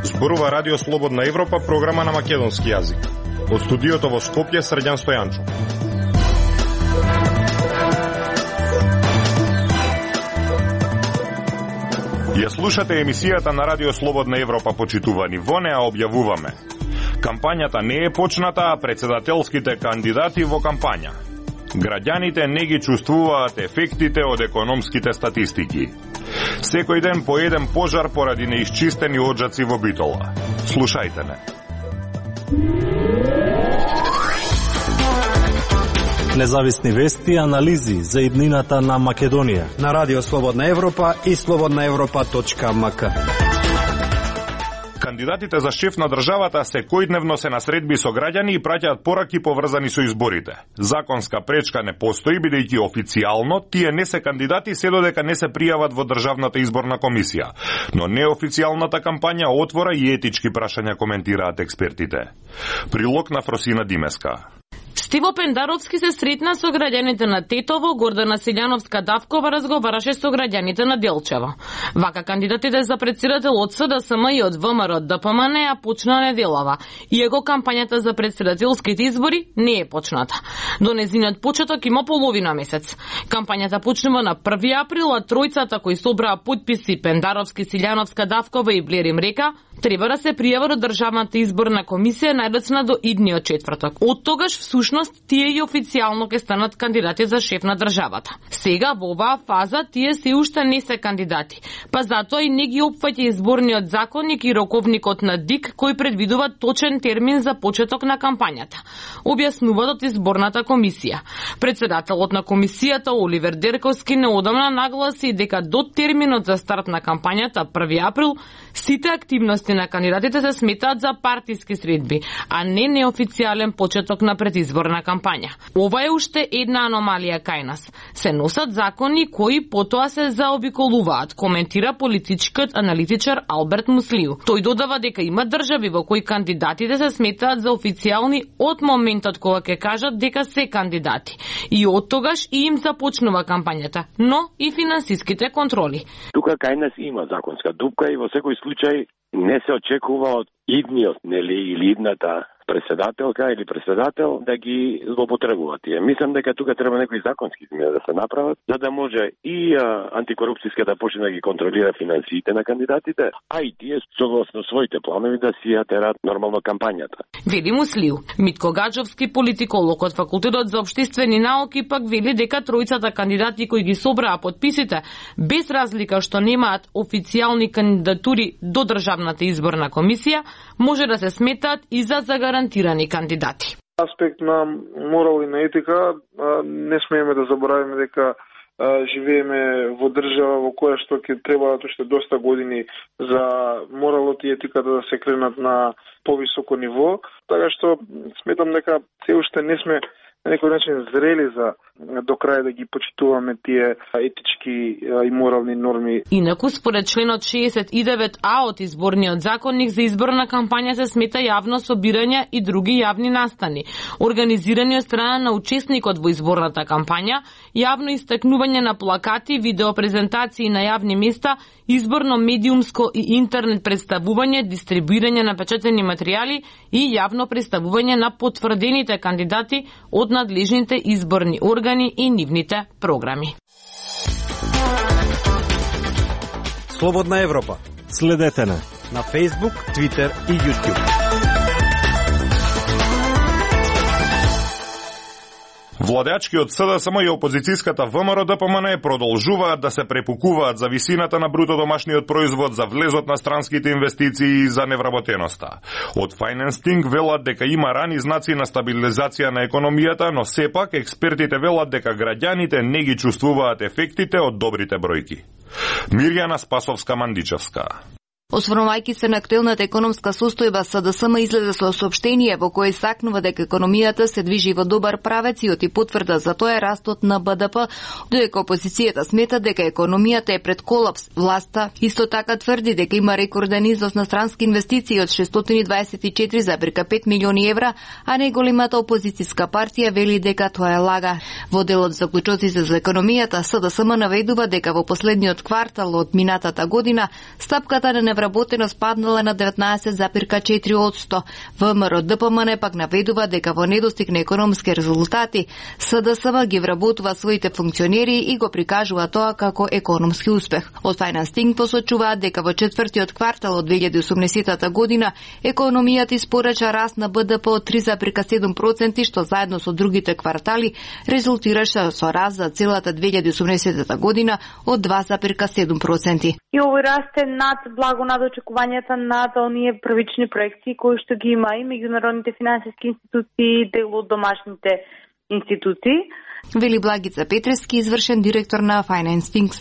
Зборува Радио Слободна Европа, програма на македонски јазик. Од студиото во Скопје, Срđan Стојанчо. Ја слушате емисијата на Радио Слободна Европа, почитувани. Во неа објавуваме: кампањата не е почната, а председателските кандидати во кампања. Граѓаните не ги чувствуваат ефектите од економските статистики. Секој ден по еден пожар поради неисчистени оджаци во Битола. Слушајте не. Независни вести и анализи за иднината на Македонија на Радио Слободна Европа и slobodnaevropa.mk. Кандидатите за шеф на државата секојдневно се на средби со граѓани и праќаат пораки поврзани со изборите. Законска пречка не постои, бидејќи официјално тие не се кандидати се додека не се пријават во Државната изборна комисија. Но неофицијалната кампања отвора и етички прашања, коментираат експертите. Прилог на Фросина Димеска. Стиво Пендаровски се сретна со граѓаните на Тетово, Гордана Силјановска-Давкова разговараше со граѓаните на Делчево. Вака кандидатите за председател од СДСМ и од ВМРО ДПМН ја почна неделава, иако кампањата за председателските избори не е почната. До незинот почеток има половина месец. Кампањата почнува на 1 април, а тројцата кои собраа потписи Пендаровски, Силјановска-Давкова и Блер им река, треба да се пријава до Државната изборна комисија најдоцна до идниот четврток. Од тогаш всушност тие и официјално ќе станат кандидати за шеф на државата. Сега во оваа фаза тие се уште не се кандидати, па затоа и не ги опфаќа изборниот законник и роковникот на ДИК кој предвидува точен термин за почеток на кампањата, објаснуваат од изборната комисија. Председателот на комисијата Оливер Дерковски неодамна нагласи дека до терминот за старт на кампањата 1 април сите активности на кандидатите се сметаат за партиски средби, а не неофицијален почеток на предизборна кампања. Ова е уште една аномалија кај нас. Се носат закони кои потоа се заобиколуваат, коментира политичкиот аналитичар Алберт Муслиу. Тој додава дека има држави во кои кандидатите се сметаат за официјални од моментот кога ќе кажат дека се кандидати. И од тогаш и им започнува кампањата, но и финансиските контроли. Тука кај нас има законска дупка и во секој случај не се очекува од идниот, или идната председателка или председател да ги злоупотребуваат тие. Мислам дека тука треба некои законски измени да се направат, за да може и антикорупцијска да почне да ги контролира финансиите на кандидатите, а и тие согласно своите планови да си ја терат нормално кампањата. Вели Муслиу. Митко Гаджовски, политиколог од Факултетот за општествени науки, пак вели дека тројцата кандидати кои ги собраа потписите, без разлика што немаат официјални кандидатури до Државната изборна комисија, може да се сметаат и за загарантирани кандидати. Аспект на морал и на етика, не смееме да заборавиме дека живееме во држава во која што ќе требаат уште доста години за моралот и етиката да се кренат на повисоко ниво, така што сметам дека се уште не сме на некој начин зрели за до крај да ги почитуваме тие етички и морални норми. Инаку, според членот 69А од изборниот законник, за изборна кампања се смета јавно собирање и други јавни настани, организирани од страна на учесникот во изборната кампања, јавно истакнување на плакати, видеопрезентации на јавни места, изборно медиумско и интернет представување, дистрибуирање на печатени материјали и јавно представување на потврдените кандидати од надлежните изборни органи и нивните програми. Слободна Европа. Следете на Facebook, Twitter и YouTube. Владеачкиот СДСМ и опозицијската ВМРО ДПМН продолжуваат да се препукуваат за висината на бруто домашниот производ, за влезот на странските инвестиции и за невработеноста. Од Financing велат дека има рани знаци на стабилизација на економијата, но сепак експертите велат дека граѓаните не ги чувствуваат ефектите од добрите бројки. Мирјана Спасовска-Мандичевска. Осврнувајќи се на актуелната економска состојба, СДСМ излезе со соопштение во кое сакнува дека економијата се движи во добар правец и оти потврда за тоа е растот на БДП, додека опозицијата смета дека економијата е пред колапс. Власта исто така тврди дека има рекорден износ на странски инвестиции од 624,5 милиони евра, а најголемата опозицијска партија вели дека тоа е лага. Во делот заклучоците за економијата, СДСМ наведува дека во последниот квартал од минатата година стапката на невработеност паднала на 19,4%. ВМРО ДПМН пак наведува дека во недостиг на економски резултати, СДСМ ги вработува своите функционери и го прикажува тоа како економски успех. Од Financing посочуваат дека во четвртиот квартал од 2018 година економијата испорача раст на БДП од 3,7%, што заедно со другите квартали резултираше со раст за целата 2018 година од 2,7%. И овој раст е благо над очекувањата над оние првични проекции кои што ги има и меѓународните финансиски институции, дел од домашните институции. Вели Благица Петрески, извршен директор на Financing.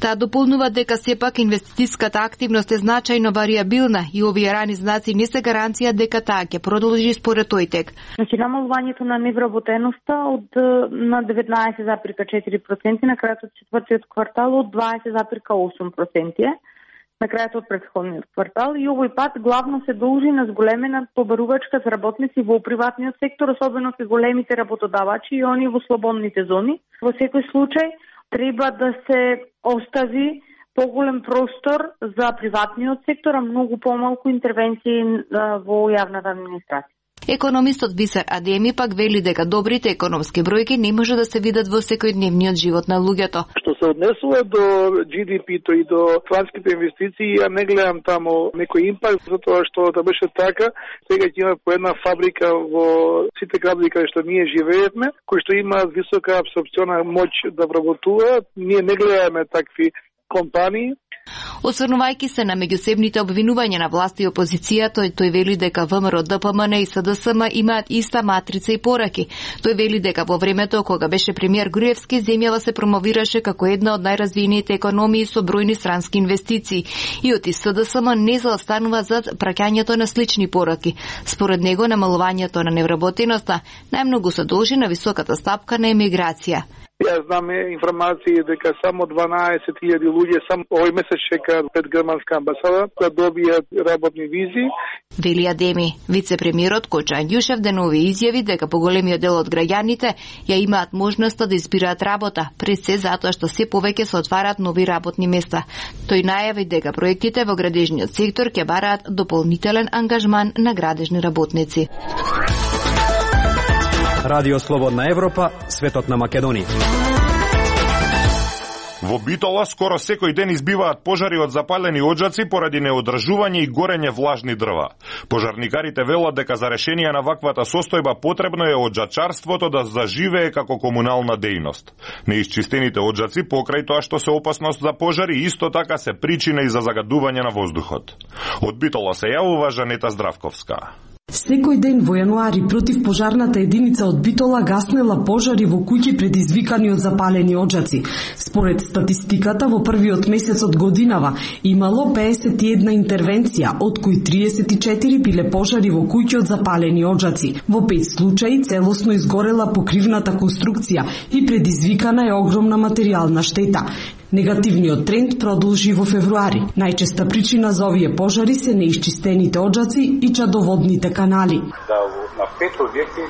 Таа дополнува дека сепак инвестицијската активност е значајно варијабилна и овие рани знаци не се гаранција дека таа ќе продолжи според тој. Значи намалувањето на невработеноста од на 19,4% на крајот од четвртиот квартал од 20,8%. На крајот од претходниот квартал и овој пат главно се должи на зголемена побарувачка за работници во приватниот сектор, особено кај големите работодавачи и они во слободните зони. Во секој случај треба да се остави поголем простор за приватниот сектор, а многу помалку интервенции во јавната администрација. Економистот Бисер Адеми пак вели дека добрите економски бројки не може да се видат во секојдневниот живот на луѓето. Што се однесува до GDP-то и до странските инвестиции, ја не гледам таму некој импакт, затоа што да беше така, сега ќе има по една фабрика во сите градови каде што ние живееме, кои што имаат висока абсорпциона моќ да вработуваат. Ние не гледаме такви компании. Осврнувајќи се на меѓусебните обвинувања на власт и опозицијата, тој вели дека ВМРО ДПМН и СДСМ имаат иста матрица и пораки. Тој вели дека во времето кога беше премиер Груевски, земјава се промовираше како една од најразвиените економии со бројни странски инвестиции и оти СДСМ не заостанува зад праќањето на слични пораки. Според него намалувањето на невработеноста најмногу се должи на високата стапка на емиграција. Јас знам информации дека само 12.000 луѓе само овој месец чекаат пред германска амбасада да добијат работни визи. Вели Адеми. Вице-премиерот Коча Андјушев денови изјави дека поголемиот дел од граѓаните ја имаат можноста да избираат работа, пред се затоа што се повеќе се отварат нови работни места. Тој најави дека проектите во градежниот сектор ќе бараат дополнителен ангажман на градежни работници. Радио Слободна Европа, светот на Македонија. Во Битола скоро секој ден избиваат пожари од запалени оџаци поради неодржување и горење влажни дрва. Пожарникарите велат дека за решение на ваквата состојба потребно е оџачарството да заживее како комунална дејност. Неисчистените оџаци покрај тоа што се опасност за пожари исто така се причина и за загадување на воздухот. Од Битола се јавува Жанета Здравковска. Секој ден во јануари противпожарната единица од Битола гаснела пожари во куќи предизвикани од запалени оџаци. Според статистиката, во првиот месец од годинава имало 51 интервенција, од кои 34 биле пожари во куќи од запалени оџаци. Во 5 случаи целосно изгорела покривната конструкција и предизвикана е огромна материјална штета. Негативниот тренд продолжи во февруари. Најчеста причина за овие пожари се неисчистените оџаци и чадоводните канали. Да, на 5 објекти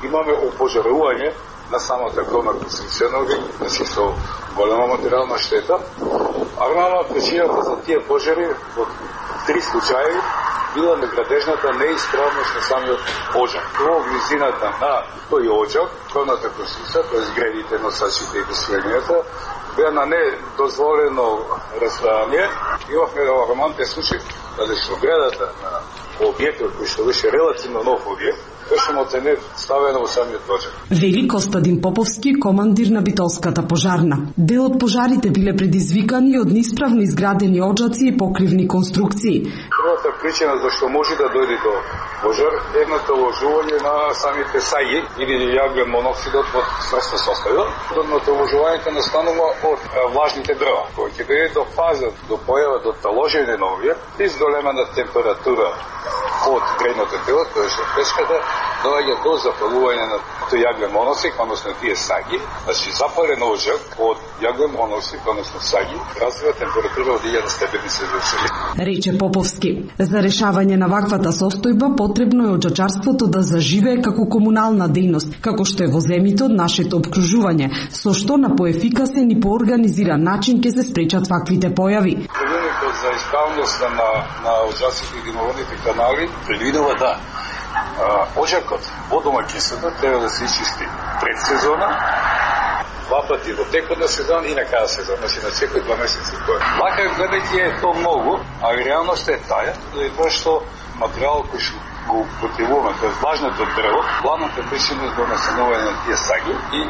имаме опожарување на самата кровна конструкција на објект, со голема материјална штета. А главна причината за тие пожари во 3 случаи била неградежната неисправност на самиот оџак. Во близината на тој оџак, кровната конструкција, тоест гредите, носачите и пострелњата, беа на недозволено разстојание. Имавме алармантен случај каде што гредата на објектот кој што беше релативно нов објект, беше оценет ставено во самиот пожар. Вели Костадин Поповски, командир на Битолската пожарна. Дел од пожарите биле предизвикани од неисправно изградени оджаци и покривни конструкции. Првата причина зашто може да дојде до пожар е едното вложување на самите саѓи или јаглен моноксидот од сврста состојба. Едното вложувањето настанува од влажните дрва, кои ќе биде до фаза до појава до таложење на овие, и зголемена температура од грејното тело, тоа е пешката, доаѓа до запалување на тој јаглен моноксид, односно тие саѓи, значи запален ожар од јаглен моноксид, односно саѓи, развива температура од 1000 степени Целзиус. Рече Поповски, за решавање на ваквата состојба потребно е оджачарството да заживее како комунална дејност, како што е во земјите од нашето обкружување, со што на поефикасен и поорганизиран начин ќе се спречат ваквите појави. Правилникот за исправност на оджаците и димоводните канали предвидува да оджакот во домаќинството треба да се изчисти пред сезона, 2 пати во текот на сезон и на крај сезон, значи на секој 2 месеци. Лака гледајќи е тоа многу, а реалноста е таа, тоа што материјалот кој што го употребуваме, тоа е влажното дрво, главната причина е до настанување на тие саѓи и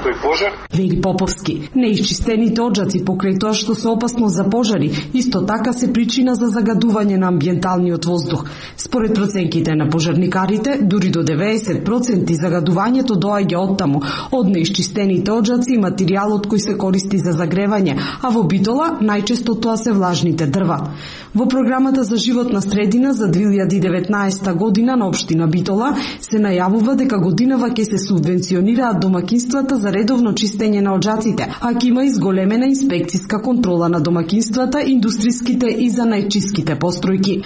тој пожар. Вели Поповски, неисчистените оджаци покрај тоа што се опасно за пожари, исто така се причина за загадување на амбиенталниот воздух. Според проценките на пожарникарите, дури до 90% загадувањето доаѓа оттаму, од неисчистените оджаци и материјалот кој се користи за загревање, а во Битола најчесто тоа се влажните дрва. Во програмата за животна средина за 2019 година на општина Битола се најавува дека годинава ќе се субвенционираат домакинствата за редовно чистење на оджаците, а ќе има изголемена инспекциска контрола на домакинствата, индустриските и занајчиските постројки.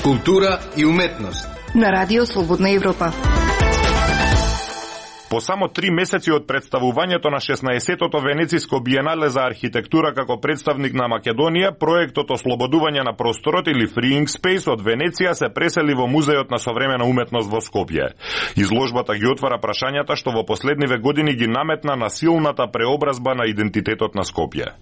Култура и уметност. На Радио Слободна Европа. По само 3 месеци од представувањето на 16-тото Венециско биенале за архитектура како представник на Македонија, проектот Ослободување на просторот или Freeing Space од Венеција се пресели во Музеот на современа уметност во Скопје. Изложбата ги отвара прашањата што во последниве години ги наметна на силната преобразба на идентитетот на Скопје.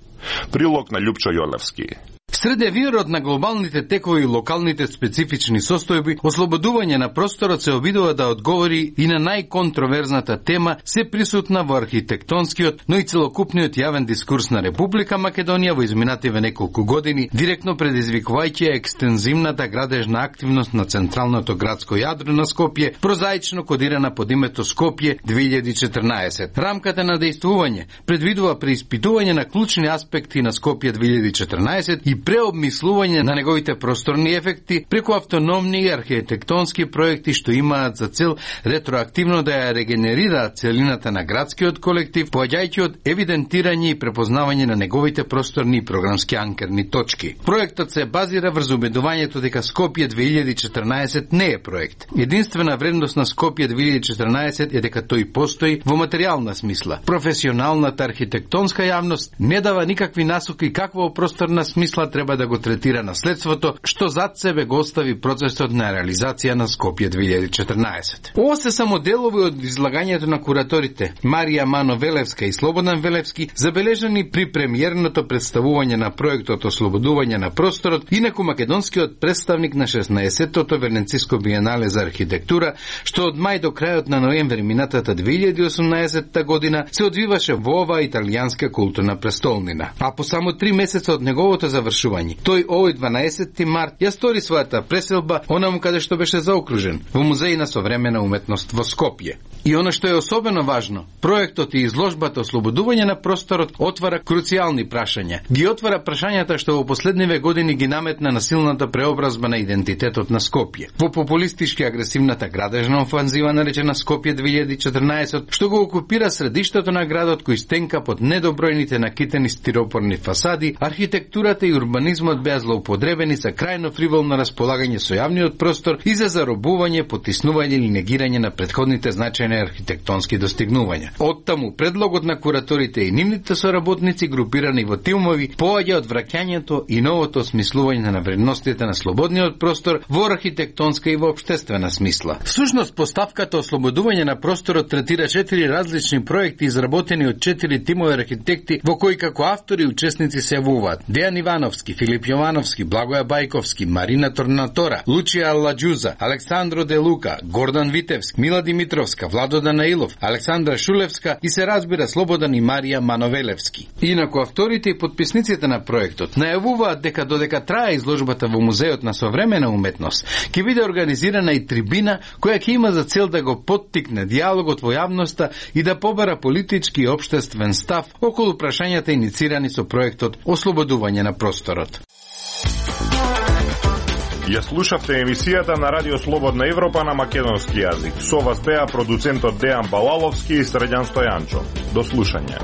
Прилог на Љупчо Јолевски. Среде вирот на глобалните текови и локалните специфични состојби, ослободување на просторот се обидува да одговори и на најконтроверзната тема, се присутна во архитектонскиот, но и целокупниот јавен дискурс на Република Македонија во изминативе неколку години, директно предизвикувајќи екстензивната градежна активност на централното градско јадро на Скопје, прозаично кодирана под името Скопје 2014. Рамката на дејствување предвидува преиспитување на клучни аспекти на Скопје 2014 и преобмислување на неговите просторни ефекти преку автономни архитектонски проекти што имаат за цел ретроактивно да ја регенерираат целината на градскиот колектив, поаѓајќи од евидентирање и препознавање на неговите просторни и програмски анкерни точки. Проектот се базира врз убедувањето дека Скопје 2014 не е проект. Единствена вредност на Скопје 2014 е дека тој постои во материјална смисла. Професионалната архитектонска јавност не дава никакви насоки каква просторна смисла треба да го третира наследството, што зад себе го остави процесот на реализација на Скопје 2014. Ова се само делови од излагањето на кураторите Марија Мано Велевска и Слободан Велевски, забележани при премиерното представување на проектот Ослободување на просторот, инаку македонскиот представник на 16-тото Венециско биенале за архитектура, што од мај до крајот на ноември минатата 2018 година се одвиваше во оваа италијанска културна престолнина. А по само 3 месеца од неговото завршување, тој овој 12 март ја стори својата преселба онаму каде што беше заокружен, во Музеј на современа уметност во Скопје. И оно што е особено важно, проектот и изложбата Ослободување на просторот отвара круцијални прашања. Ги отвара прашањата што во последниве години ги наметна на силната преобразба на идентитетот на Скопје. Во популистички агресивната градежна офанзива наречена Скопје 2014, што го окупира средиштето на градот кој стенка под недобројните накитени стиропорни фасади, архитектурата и урбанизмот беа злоупотребени за крајно фриволно располагање со јавниот простор и за заробување, потиснување или негирање на претходните значајни архитектонски достигнувања. Оттаму предлогот на кураторите и нивните соработници групирани во тимови поаѓа од враќањето и новото осмислување на вредностите на слободниот простор во архитектонска и во општествена смисла. Всушност поставката Ослободување на просторот третира 4 различни проекти изработени од 4 тимови архитекти во кои како автори и учесници се јавуваат Дејан Ивановски, Михалски, Филип Јовановски, Благоја Бајковски, Марина Торнатора, Лучија Алладжуза, Александро Де Лука, Гордан Витевски, Мила Димитровска, Владо Данаилов, Александра Шулевска и се разбира Слободан и Марија Мановелевски. Инаку авторите и подписниците на проектот најавуваат дека додека трае изложбата во Музеот на современа уметност, ќе биде организирана и трибина која ќе има за цел да го поттикне диалогот во јавноста и да побара политички и општествен став околу прашањата иницирани со проектот Ослободување на просторот. Ја слушавте емисијата на Радио Слободна Европа на македонски јазик. Со вас беа продуцентот Дејан Балаловски и Средјан Стојанчо. До слушање.